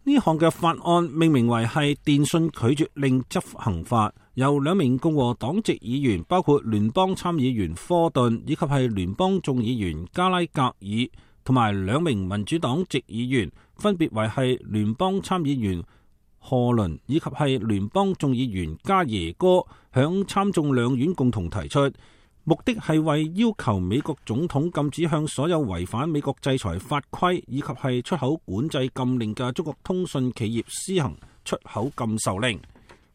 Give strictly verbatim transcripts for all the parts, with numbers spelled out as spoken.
呢項嘅法案命名為係電訊拒絕令執行法，由兩名共和黨籍議員，包括聯邦參議員科頓以及係聯邦眾議員加拉格爾，同埋兩名民主黨籍議員，分別為係聯邦參議員賀倫以及係聯邦眾議員加耶哥，響參眾兩院共同提出，目的係為要求美國總統禁止向所有違反美國制裁法規以及係出口管制禁令嘅中國通訊企業施行出口禁售令。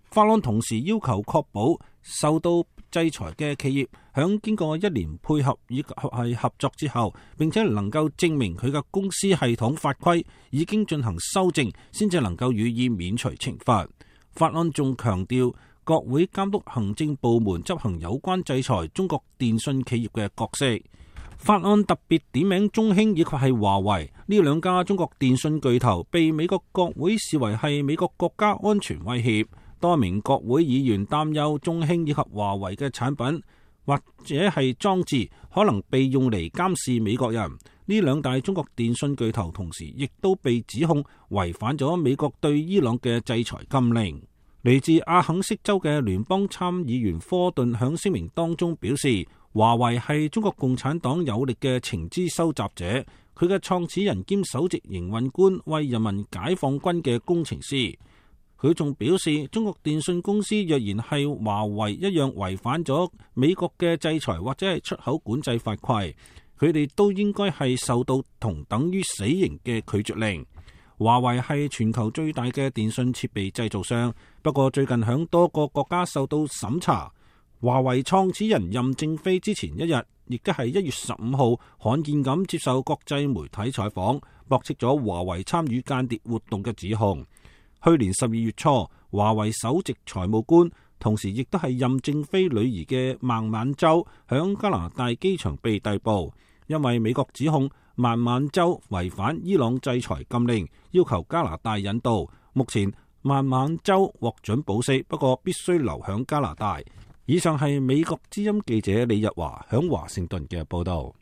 法案同時要求確保受到制裁嘅企業響經過一年配合以及係合作之後，並且能夠證明佢嘅公司系統法規已經進行修正，先至能夠予以免除懲罰。法案仲強調國會監督行政部門執行有關制裁中國電信企業嘅角色。法案特別點名中興以及係華為呢兩家中國電信巨頭，被美國國會視為係美國國家安全威脅。多名國會議員擔憂中興以及華為嘅產品或者係裝置可能被用嚟監視美國人。呢兩大中國電信巨頭同時亦都被指控違反咗美國對伊朗嘅制裁禁令。嚟自阿肯色州嘅聯邦參議員科頓響聲明當中表示，華為係中國共產黨有力嘅情資收集者，佢嘅創始人兼首席營運官為人民解放軍嘅工程師。佢仲表示，中國電信公司若然係華為一樣違反咗美國嘅制裁或者係出口管制法規，佢哋都應該係受到同等於死刑嘅拒絕令。華為係全球最大嘅電信設備製造商，不過最近響多個國家受到審查。華為創始人任正非之前一日，亦都係一月十五號罕見咁接受國際媒體採訪，駁斥咗華為參與間諜活動嘅指控。去年十二月初，華為首席財務官，同時亦都係任正非女兒嘅孟晚舟，響加拿大機場被逮捕，因為美國指控孟晚舟違反伊朗制裁禁令，要求加拿大引渡。目前孟晚舟獲准保釋，不過必須留響加拿大。以上係美國之音記者李日華響華盛頓嘅報道。